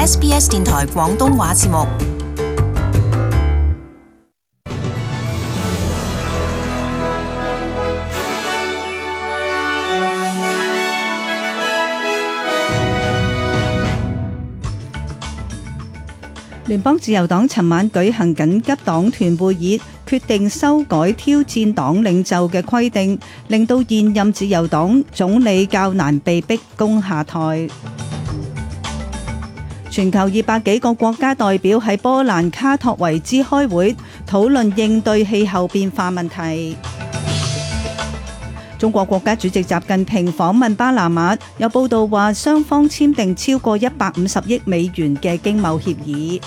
SBS 電台廣東話節目。聯邦自由黨尋晚舉行緊急黨團會議，決定修改挑戰黨領袖嘅規定，令到現任自由黨總理較難被逼宮下台。全球200幾個國家代表喺波蘭卡托維茲開會，討論應對氣候變化問題。中國國家主席習近平訪問巴拿馬，有報道話雙方簽訂超過150億美元嘅經貿協議。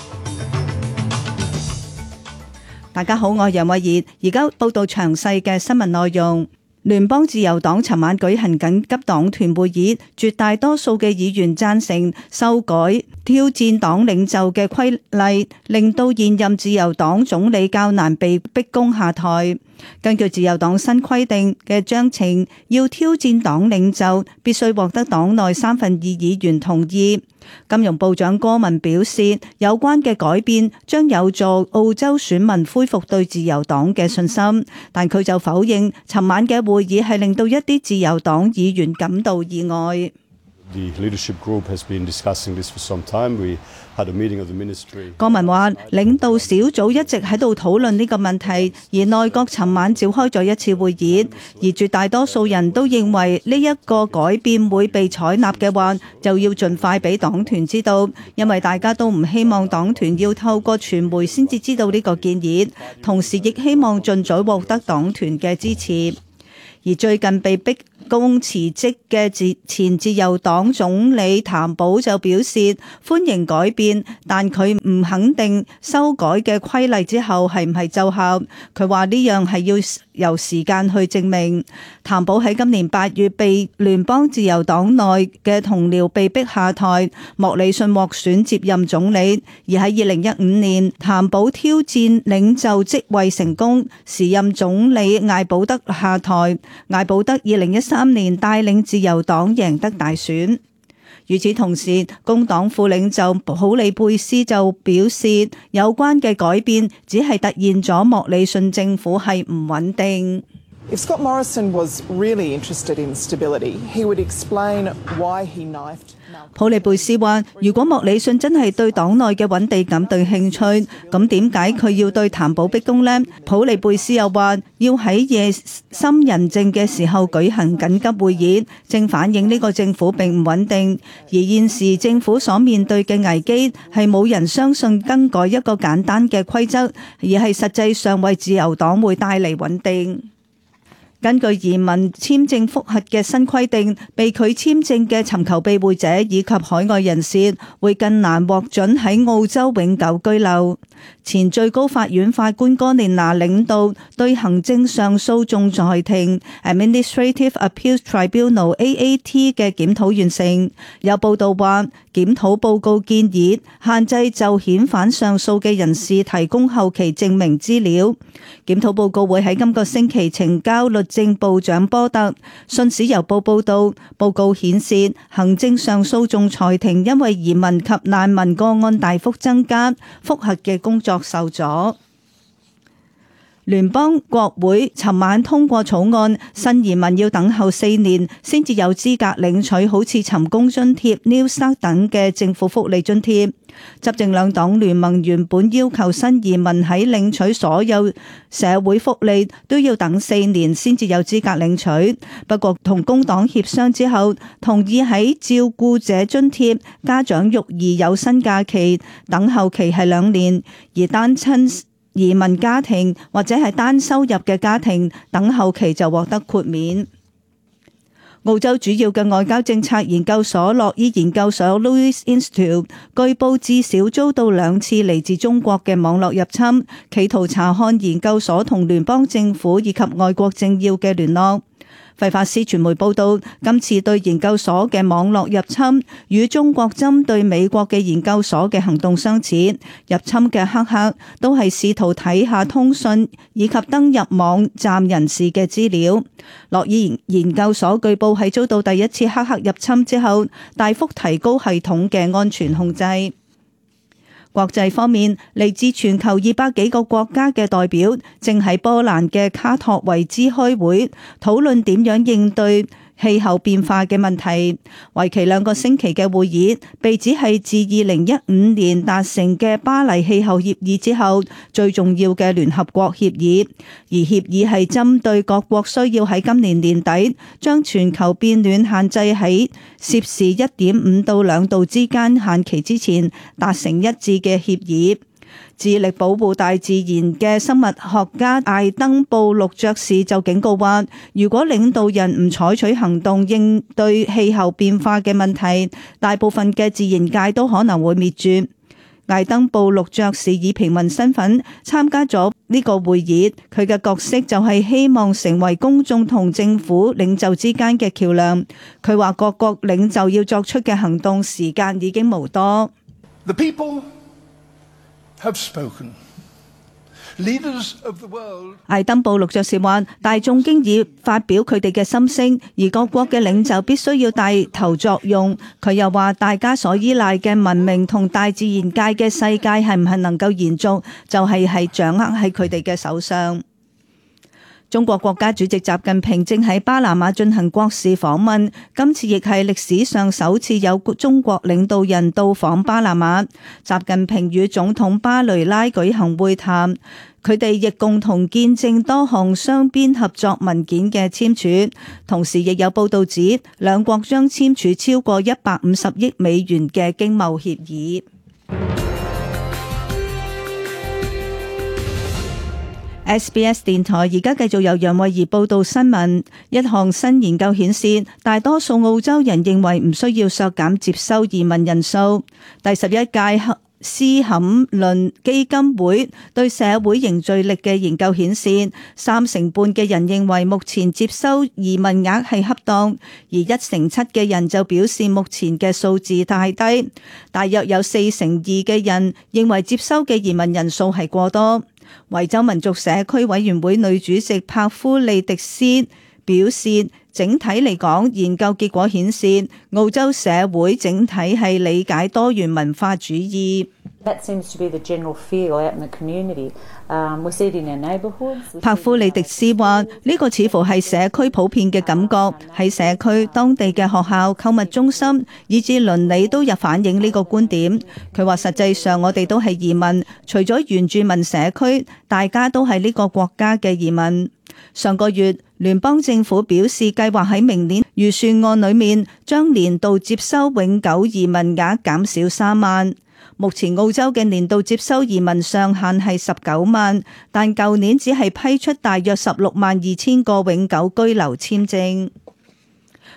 大家好，我係楊慧儀，而家報道詳細嘅新聞內容。聯邦自由黨尋晚舉行緊急黨團會議，絕大多數嘅議員贊成修改挑戰黨領袖嘅規例，令到現任自由黨總理較難被逼宮下台。根據自由黨新規定嘅章程，要挑戰黨領袖必須獲得黨內3分2議員同意。金融部長戈文表示，有關嘅改變將有助澳洲選民恢復對自由黨嘅信心，但佢就否認尋晚嘅會議係令到一啲自由黨議員感到意外。戈文話，領導小組一直喺度討論呢個問題，而內閣尋晚召開咗一次會議，而絕大多數人都認為呢一個改變會被採納嘅話，就要盡快俾黨團知道，因為大家都唔希望黨團要透過傳媒先至知道呢個建議，同時亦希望盡早獲得黨團嘅支持。而最近被逼宮辭職嘅前自由黨總理譚寶就表示歡迎改變，但佢唔肯定修改嘅規例之後係唔係奏效。佢話呢樣係要由時間去證明。譚寶喺今年8月被聯邦自由黨內嘅同僚被逼下台，莫里遜獲選接任總理。而喺2015年，譚寶挑戰領袖職位成功，時任總理艾保德下台。艾保德2013年帶領自由黨贏得大選。與此同時，工黨副領袖普里貝斯就表示，有關嘅改變只係突現咗莫里遜政府係唔穩定。If Scott Morrison was really interested in stability, he would explain why he knifed. 普里貝斯話，如果莫里遜真係對黨內嘅穩定感對興趣，咁點解佢要對譚寶逼宮呢？普里貝斯又話，要喺夜深人靜嘅時候舉行緊急會議，正反映呢個政府並唔穩定。而現時政府所面對嘅危機係冇人相信更改一個簡單嘅規則，而係實際上為自由黨會帶嚟穩定。根據移民簽證覆核嘅新規定，被拒簽證嘅尋求庇護者以及海外人士會更難獲准喺澳洲永久居留。前最高法院法官哥連拿領導對行政上訴仲裁庭 Administrative Appeals Tribunal AAT 嘅檢討完成。有報道話，檢討報告建議限制就遣返上訴嘅人士提供後期證明資料。檢討報告會喺今個星期呈交律政部長波特。信使郵報報道，報告顯示行政上訴仲裁庭因為移民及難民個案大幅增加，覆核嘅工作受阻。聯邦國會尋晚通過草案，新移民要等候4年先至有資格領取好似尋工津貼、New Start 等嘅政府福利津貼。執政兩黨聯盟原本要求新移民喺領取所有社會福利都要等4年先至有資格領取，不過同工黨協商之後，同意喺照顧者津貼、家長育兒有薪假期等候期係2年，而單親移民家庭或者係單收入嘅家庭等候期就獲得豁免。澳洲主要嘅外交政策研究所洛伊研究所 Louis Institute 據報至少遭到2次嚟自中國嘅網絡入侵，企圖查看研究所同聯邦政府以及外國政要嘅聯絡。費法斯傳媒報道，今次對研究所嘅網絡入侵與中國針對美國嘅研究所嘅行動相似。入侵嘅黑客都係試圖睇下通訊以及登入網站人士嘅資料。洛伊研究所據報係遭到第一次黑客入侵之後，大幅提高系統嘅安全控制。國際方面，嚟自全球200幾個國家嘅代表正喺波蘭嘅卡托維茲開會，討論點樣應對氣候變化嘅問題。為期2個星期嘅會議被指係自2015年達成嘅巴黎氣候協議之後最重要嘅聯合國協議，而協議係針對各國需要喺今年年底將全球變暖限制喺攝氏1.5到2度之間限期之前達成一致嘅協議。致力保護大自然嘅生物學家艾登布魯爵士就警告話，如果領導人唔採取行動應對氣候變化嘅問題，大部分嘅自然界都可能會滅絕。艾登布魯爵士以平民身份參加咗呢個會議，佢嘅角色就係希望成為公眾同政府領袖之間嘅橋樑。佢話各國領袖要作出嘅行動時間已經無多。The people have spoken. Leaders of the world. 艾登布魯爵士話，大眾經已發表佢哋嘅心聲，而各國嘅領袖必須要帶頭作用。佢又話，大家所依賴嘅文明同大自然界嘅世界係唔係能夠延續，就係掌握喺佢哋嘅手上。中國國家主席習近平正喺巴拿馬進行國事訪問，今次亦係歷史上首次有中國領導人到訪巴拿馬。習近平與總統巴雷拉舉行會談，佢哋亦共同見證多項雙邊合作文件嘅簽署，同時亦有報道指兩國將簽署超過150億美元嘅經貿協議。SBS 電台而家繼續由楊慧儀報道新聞。一項新研究顯示，大多數澳洲人認為唔需要削減接收移民人數。第11屆斯坎倫基金會對社會凝聚力嘅研究顯示，3成半嘅人認為目前接收移民額係恰當，而1成7嘅人就表示目前嘅數字太低。大約有4成2嘅人認為接收嘅移民人數係過多。維州民族社區委員會女主席帕夫利迪斯表示，整體嚟講，研究結果顯示澳洲社會整體係理解多元文化主義。帕夫利迪斯話：呢個似乎係社區普遍嘅感覺，喺社區、當地嘅學校、購物中心，以至鄰里都有反映呢個觀點。佢話實際上我哋都係移民，除咗原住民社區，大家都係呢個國家嘅移民。上個月，聯邦政府表示計劃喺明年預算案裏面將年度接收永久移民額減少3萬。目前澳洲嘅年度接收移民上限係19萬，但舊年只係批出大約16萬2千個永久居留簽證。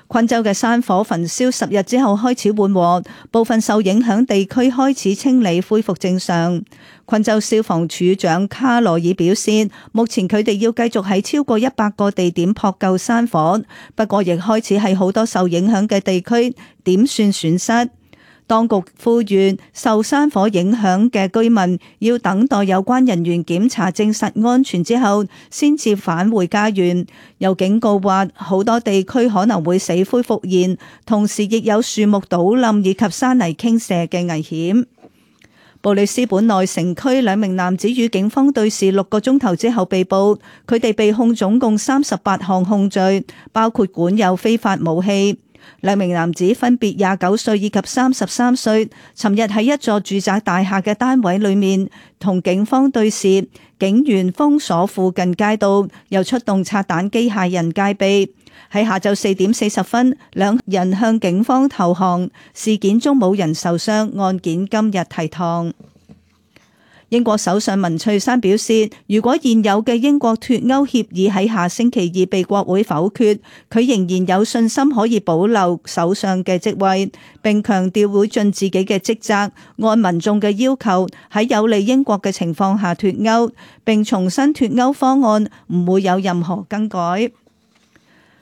昆州嘅山火焚燒10日之後開始緩和，部分受影響地區開始清理恢復正常。昆州消防處長卡羅爾表示，目前佢哋要繼續喺超過100個地點撲救山火，不過亦開始喺好多受影響嘅地區點算損失。當局呼籲受山火影響嘅居民要等待有關人員檢查證實安全之後，先至返回家園。又警告話，好多地區可能會死灰復燃，同時亦有樹木倒冧以及山泥傾瀉嘅危險。布里斯本內城區2名男子與警方對峙6個鐘頭之後被捕，佢哋被控總共38項控罪，包括管有非法武器。2名男子分別29歲以及33歲，尋日喺一座住宅大廈嘅單位裏面同警方對峙，警員封鎖附近街道，又出動拆彈機械人戒備。喺下晝4點40分，2人向警方投降，事件中冇人受傷，案件今日提堂。英國首相文翠珊表示，如果現有嘅英國脫歐協議喺下星期2被國會否決，佢仍然有信心可以保留首相嘅職位，並強調會盡自己嘅職責，按民眾嘅要求喺有利英國嘅情況下脫歐，並重申脫歐方案唔會有任何更改。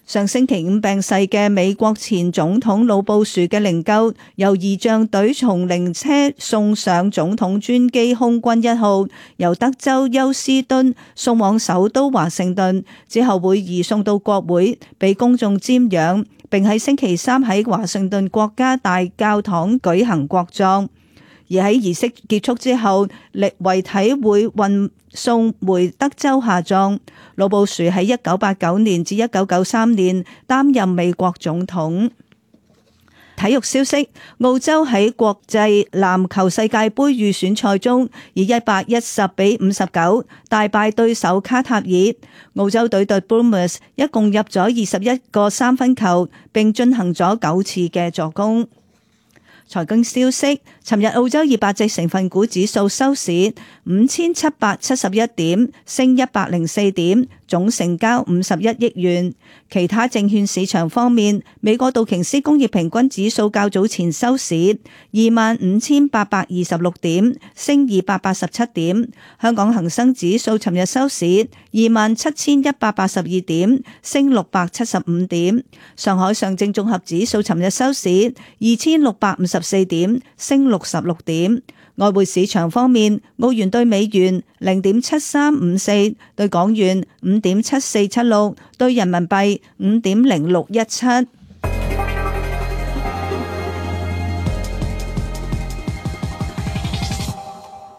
上星期5病逝嘅美國前總統老布殊嘅靈柩由儀仗隊從靈車送上總統專機空軍1號，由德州休斯敦送往首都華盛頓，之後會移送到國會俾公眾瞻仰，並喺星期3喺華盛頓國家大教堂舉行國葬。而喺儀式結束之後，遺體會運送回德州下葬。老布殊喺1989年至1993年擔任美國總統。體育消息：澳洲喺國際籃球世界盃預選賽中以110-59大敗對手卡塔爾。澳洲隊對 Boomers 一共入咗21個三分球，並進行咗9次嘅助攻。財經消息：尋日澳洲200隻成分股指數收市5771點，升104點，總成交51億元。其他證券市場方面，美國道瓊斯工業平均指數較早前收市25,826點，升287點。香港恒生指數尋日收市27,182點，升675點。上海上證綜合指數尋日收市2,654點，升66點。外匯市場方面，澳元對美元0.7354，對港元5.7476，對人民幣5.0617。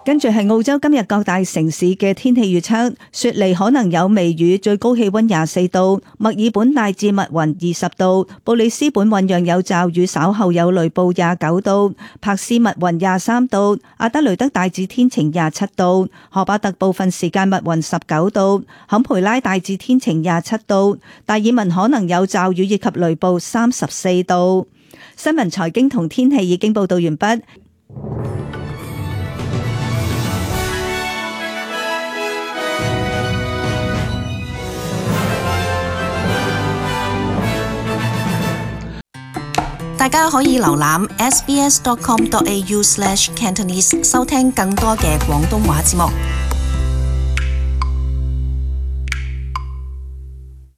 跟住係澳洲今日各大城市嘅天氣預測：雪梨可能有微雨，最高氣溫24度；墨爾本大致密雲20度；布里斯本醞釀有驟雨，稍後有雷暴29度；柏斯密雲23度；阿德雷德大致天晴27度；荷巴特部分時間密雲19度；坎培拉大致天晴27度；達爾文可能有驟雨以及雷暴34度。新聞財經同天氣已經報道完畢。大家可以瀏覽 sbs.com.au/cantonese 收聽更多嘅廣東話節目。